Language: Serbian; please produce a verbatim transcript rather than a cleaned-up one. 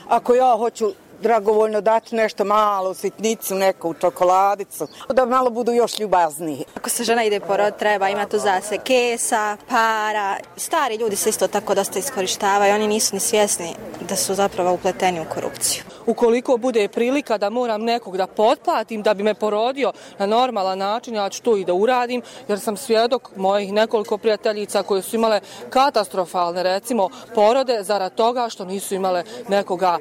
ako ja hoću dragovoljno dati nešto malo, sitnicu, neku čokoladicu, da malo budu još ljubazniji. Ako se žena ide porod, treba imati za se kesa, para. Stari ljudi se isto tako dosta iskorištavaju, oni nisu ni svjesni da su zapravo upleteni u korupciju. Ukoliko bude prilika da moram nekog da potplatim da bi me porodio na normalan način, ja ću to i da uradim, jer sam svjedok mojih nekoliko prijateljica koje su imale katastrofalne, recimo, porode zarad toga što nisu imale nekoga